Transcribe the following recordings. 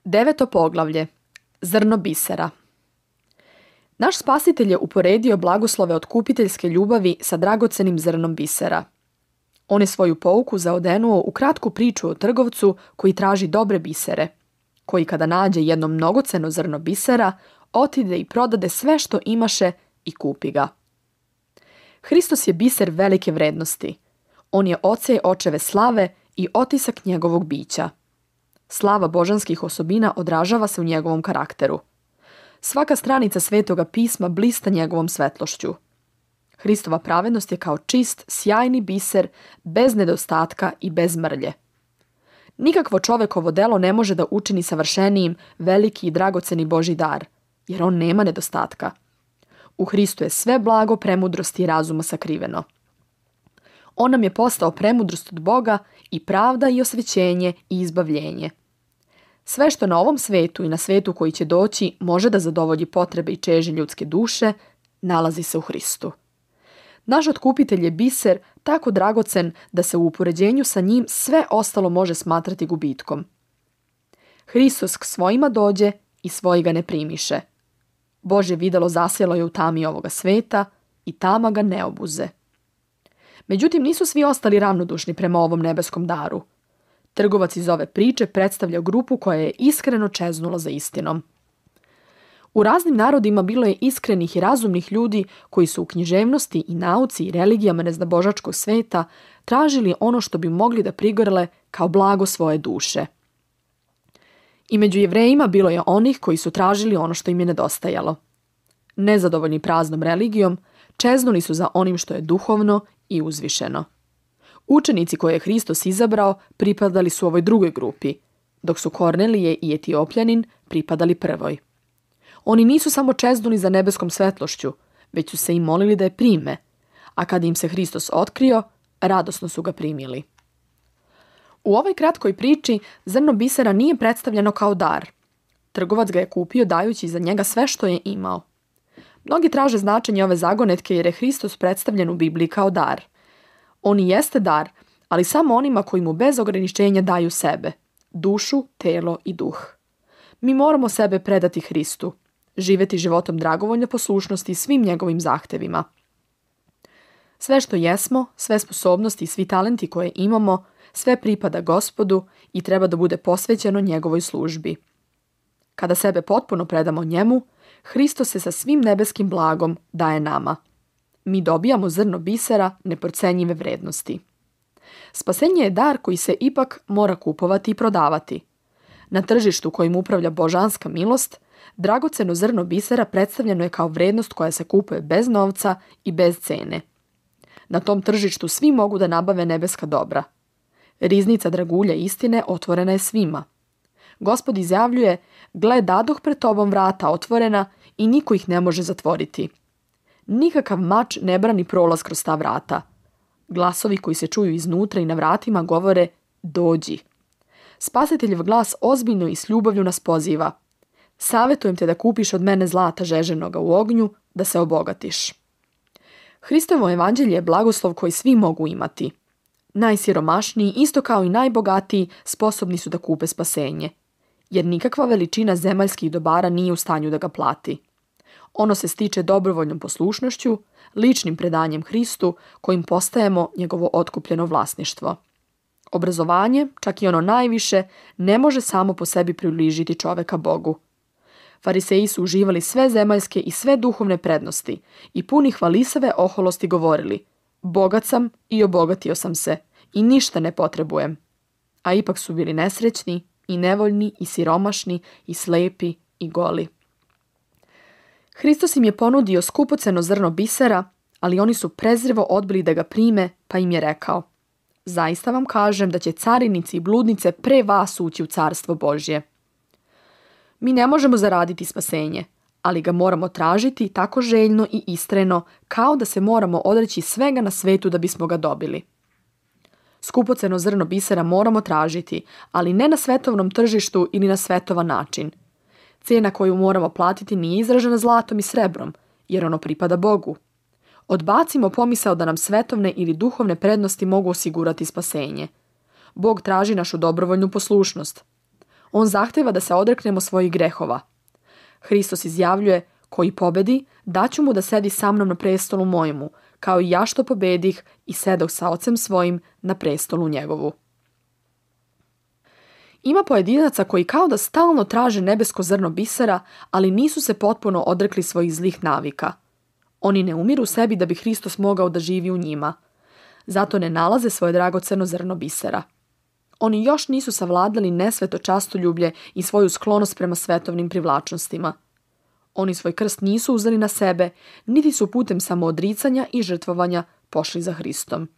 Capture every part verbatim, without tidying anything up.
Deveto poglavlje. Zrno bisera. Naš Spasitelj je uporedio blagoslove otkupiteljske ljubavi sa dragocenim zrnom bisera. On je svoju pouku zaodenuo u kratku priču o trgovcu koji traži dobre bisere, koji kada nađe jedno mnogoceno zrno bisera, otide i prodade sve što imaše i kupi ga. Hristos je biser velike vrednosti. On je oce očeve slave i otisak njegovog bića. Slava božanskih osobina odražava se u njegovom karakteru. Svaka stranica Svetoga pisma blista njegovom svetlošću. Hristova pravednost je kao čist, sjajni biser, bez nedostatka i bez mrlje. Nikakvo čovekovo delo ne može da učini savršenijim veliki i dragoceni Božji dar, jer on nema nedostatka. U Hristu je sve blago, premudrosti i razuma sakriveno. On nam je postao premudrost od Boga i pravda i osvećenje i izbavljenje. Sve što na ovom svetu i na svetu koji će doći može da zadovolji potrebe i čežnje ljudske duše, nalazi se u Hristu. Naš otkupitelj je biser tako dragocen da se u upoređenju sa njim sve ostalo može smatrati gubitkom. Hristos k svojima dođe i svoji ga ne primiše. Božje videlo zasjelo je u tami ovoga sveta i tama ga ne obuze. Međutim, nisu svi ostali ravnodušni prema ovom nebeskom daru. Trgovac iz ove priče predstavlja grupu koja je iskreno čeznula za istinom. U raznim narodima bilo je iskrenih i razumnih ljudi koji su u književnosti i nauci i religijama neznabožačkog sveta tražili ono što bi mogli da prigorele kao blago svoje duše. I među Jevrejima bilo je onih koji su tražili ono što im je nedostajalo. Nezadovoljni praznom religijom, čeznuli su za onim što je duhovno i uzvišeno. Učenici koje je Hristos izabrao pripadali su ovoj drugoj grupi, dok su Kornelije i Etiopljanin pripadali prvoj. Oni nisu samo čeznuli za nebeskom svetlošću, već su se i molili da je prime, a kada im se Hristos otkrio, radosno su ga primili. U ovoj kratkoj priči zrno bisera nije predstavljeno kao dar. Trgovac ga je kupio dajući za njega sve što je imao. Mnogi traže značenje ove zagonetke jer je Hristos predstavljen u Bibliji kao dar. On i jeste dar, ali samo onima koji mu bez ograničenja daju sebe, dušu, telo i duh. Mi moramo sebe predati Hristu, živjeti životom dragovoljne poslušnosti svim njegovim zahtevima. Sve što jesmo, sve sposobnosti i svi talenti koje imamo, sve pripada Gospodu i treba da bude posvećeno njegovoj službi. Kada sebe potpuno predamo njemu, Hristos se sa svim nebeskim blagom daje nama. Mi dobijamo zrno bisera neprocenjive vrednosti. Spasenje je dar koji se ipak mora kupovati i prodavati. Na tržištu kojim upravlja božanska milost, dragoceno zrno bisera predstavljeno je kao vrednost koja se kupuje bez novca i bez cene. Na tom tržištu svi mogu da nabave nebeska dobra. Riznica dragulja istine otvorena je svima. Gospod izjavljuje, gle, dadoh pred tobom vrata otvorena i niko ih ne može zatvoriti. Nikakav mač ne brani prolaz kroz ta vrata. Glasovi koji se čuju iznutra i na vratima govore, dođi. Spasiteljev glas ozbiljno i s ljubavlju nas poziva. Savetujem te da kupiš od mene zlata žeženoga u ognju, da se obogatiš. Hristovo evanđelje je blagoslov koji svi mogu imati. Najsiromašniji, isto kao i najbogatiji, sposobni su da kupe spasenje, jer nikakva veličina zemaljskih dobara nije u stanju da ga plati. Ono se stiče dobrovoljnom poslušnošću, ličnim predanjem Hristu, kojim postajemo njegovo otkupljeno vlasništvo. Obrazovanje, čak i ono najviše, ne može samo po sebi približiti čoveka Bogu. Fariseji su uživali sve zemaljske i sve duhovne prednosti i puni hvalisave oholosti govorili, bogat sam i obogatio sam se i ništa ne potrebujem. A ipak su bili nesrećni i nevoljni i siromašni i slepi i goli. Hristos im je ponudio skupoceno zrno bisera, ali oni su prezrivo odbili da ga prime, pa im je rekao, zaista vam kažem da će carinici i bludnice pre vas ući u carstvo Božje. Mi ne možemo zaraditi spasenje, ali ga moramo tražiti tako željno i istrajno, kao da se moramo odreći svega na svetu da bismo ga dobili. Skupoceno zrno bisera moramo tražiti, ali ne na svetovnom tržištu ili na svetovan način. Cena koju moramo platiti nije izražena zlatom i srebrom, jer ono pripada Bogu. Odbacimo pomisao da nam svetovne ili duhovne prednosti mogu osigurati spasenje. Bog traži našu dobrovoljnu poslušnost. On zahteva da se odreknemo svojih grehova. Hristos izjavljuje: koji pobedi, daću mu da sedi sa mnom na prestolu mojemu, kao i ja što pobedih i sedoh sa ocem svojim na prestolu njegovu. Ima pojedinaca koji kao da stalno traže nebesko zrno bisera, ali nisu se potpuno odrekli svojih zlih navika. Oni ne umiru sebi da bi Hristos mogao da živi u njima. Zato ne nalaze svoje dragoceno zrno bisera. Oni još nisu savladali nesveto častoljublje i svoju sklonost prema svetovnim privlačnostima. Oni svoj krst nisu uzeli na sebe, niti su putem samoodricanja i žrtvovanja pošli za Hristom.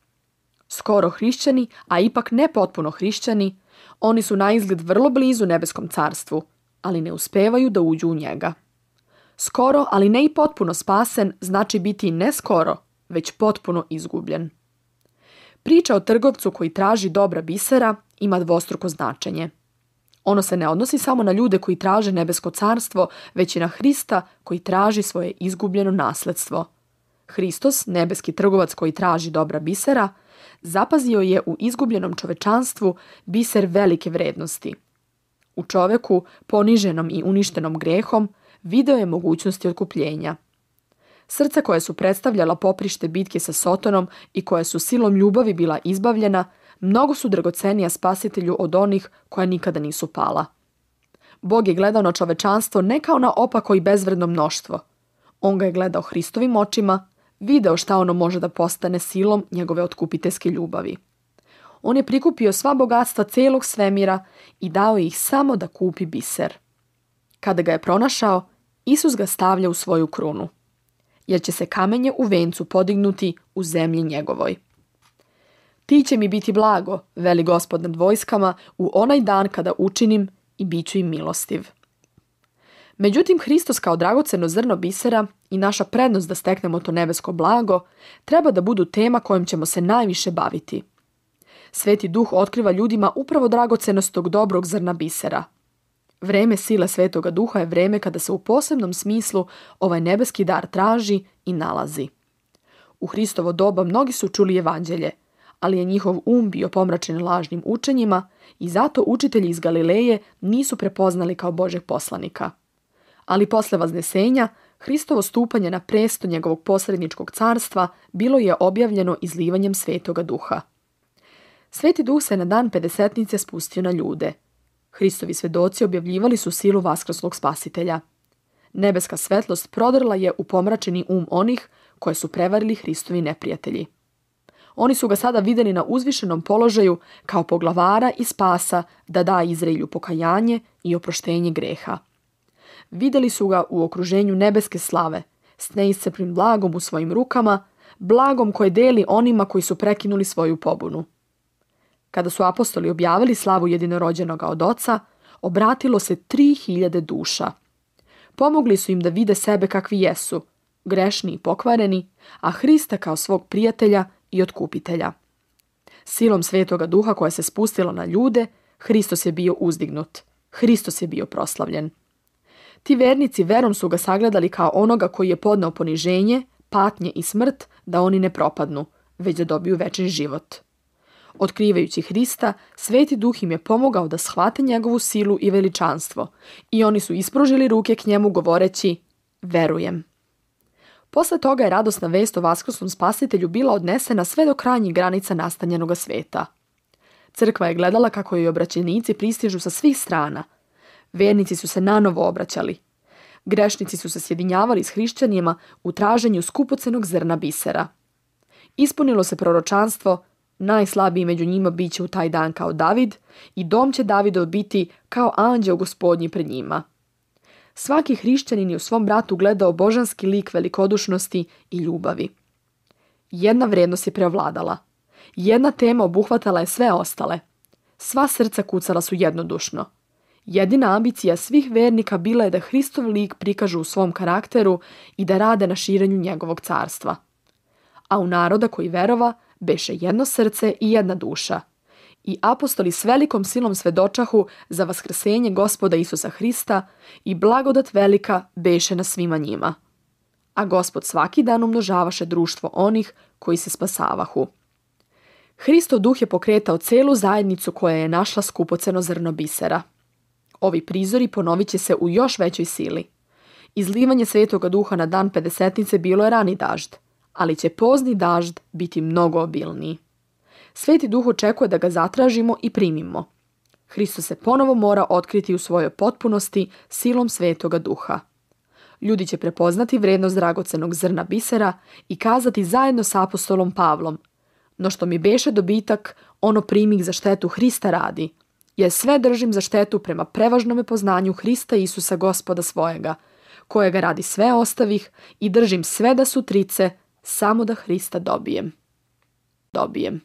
Skoro hrišćani, a ipak ne potpuno hrišćani, oni su na izgled vrlo blizu nebeskom carstvu, ali ne uspevaju da uđu u njega. Skoro, ali ne i potpuno spasen, znači biti ne skoro, već potpuno izgubljen. Priča o trgovcu koji traži dobra bisera ima dvostruko značenje. Ono se ne odnosi samo na ljude koji traže nebesko carstvo, već i na Hrista koji traži svoje izgubljeno nasledstvo. Hristos, nebeski trgovac koji traži dobra bisera, zapazio je u izgubljenom čovečanstvu biser velike vrednosti. U čoveku, poniženom i uništenom grehom, video je mogućnosti otkupljenja. Srca koja su predstavljala poprište bitke sa Sotonom i koja su silom ljubavi bila izbavljena, mnogo su dragocenija spasitelju od onih koja nikada nisu pala. Bog je gledao na čovečanstvo ne kao na opako i bezvredno mnoštvo. On ga je gledao Hristovim očima, video šta ono može da postane silom njegove otkupiteljske ljubavi. On je prikupio sva bogatstva celog svemira i dao ih samo da kupi biser. Kada ga je pronašao, Isus ga stavlja u svoju krunu, jer će se kamenje u vencu podignuti u zemlji njegovoj. Ti će mi biti blago, veli Gospod nad vojskama, u onaj dan kada učinim i bit ću im milostiv. Međutim, Hristos kao dragoceno zrno bisera i naša prednost da steknemo to nebesko blago treba da budu tema kojom ćemo se najviše baviti. Sveti Duh otkriva ljudima upravo dragocenost tog dobrog zrna bisera. Vreme sile Svetoga Duha je vreme kada se u posebnom smislu ovaj nebeski dar traži i nalazi. U Hristovo doba mnogi su čuli evanđelje, ali je njihov um bio pomračen lažnim učenjima i zato učitelji iz Galileje nisu prepoznali kao Božeg poslanika. Ali posle vaznesenja, Hristovo stupanje na presto njegovog posredničkog carstva bilo je objavljeno izlivanjem Svetoga Duha. Sveti Duh se na dan pedesetnice spustio na ljude. Hristovi svedoci objavljivali su silu vaskrslog spasitelja. Nebeska svetlost prodrla je u pomračeni um onih koje su prevarili Hristovi neprijatelji. Oni su ga sada vidjeli na uzvišenom položaju kao poglavara i spasa da da Izraelju pokajanje i oproštenje greha. Vidjeli su ga u okruženju nebeske slave, s neiscrpnim blagom u svojim rukama, blagom koje deli onima koji su prekinuli svoju pobunu. Kada su apostoli objavili slavu jedinorođenoga od Oca, obratilo se tri hiljade duša. Pomogli su im da vide sebe kakvi jesu, grešni i pokvareni, a Hrista kao svog prijatelja i otkupitelja. Silom Svetoga Duha koja se spustila na ljude, Hristos je bio uzdignut. Hristos je bio proslavljen. Ti vernici verom su ga sagledali kao onoga koji je podneo poniženje, patnje i smrt da oni ne propadnu, već da dobiju večni život. Otkrivajući Hrista, Sveti Duh im je pomogao da shvate njegovu silu i veličanstvo i oni su ispružili ruke k njemu govoreći: verujem. Posle toga je radosna vest o vaskrslom spasitelju bila odnesena sve do krajnjih granica nastanjenoga sveta. Crkva je gledala kako joj obraćenici pristižu sa svih strana. Vernici su se nanovo obraćali. Grešnici su se sjedinjavali s hrišćanima u traženju skupocenog zrna bisera. Ispunilo se proročanstvo: najslabiji među njima bit će u taj dan kao David i dom će Davidov biti kao anđeo Gospodnji pred njima. Svaki hrišćanin je u svom bratu gledao božanski lik velikodušnosti i ljubavi. Jedna vrednost je preovladala. Jedna tema obuhvatala je sve ostale. Sva srca kucala su jednodušno. Jedina ambicija svih vernika bila je da Hristov lik prikažu u svom karakteru i da rade na širenju njegovog carstva. A u naroda koji verova beše jedno srce i jedna duša. I apostoli s velikom silom svedočahu za vaskrsenje Gospoda Isusa Hrista i blagodat velika beše na svima njima. A Gospod svaki dan umnožavaše društvo onih koji se spasavahu. Hristov duh je pokretao celu zajednicu koja je našla skupoceno zrno bisera. Ovi prizori ponovit će se u još većoj sili. Izlivanje Svetoga Duha na dan Pedesetnice bilo je rani dažd, ali će pozni dažd biti mnogo obilniji. Sveti Duh očekuje da ga zatražimo i primimo. Hristos se ponovo mora otkriti u svojoj potpunosti silom Svetoga Duha. Ljudi će prepoznati vrednost dragocenog zrna bisera i kazati zajedno s apostolom Pavlom: no što mi beše dobitak, ono primih za štetu Hrista radi, jer sve držim za štetu prema prevažnome poznanju Hrista Isusa Gospoda svojega, kojega radi sve ostavih i držim sve da su trice, samo da Hrista dobijem. Dobijem.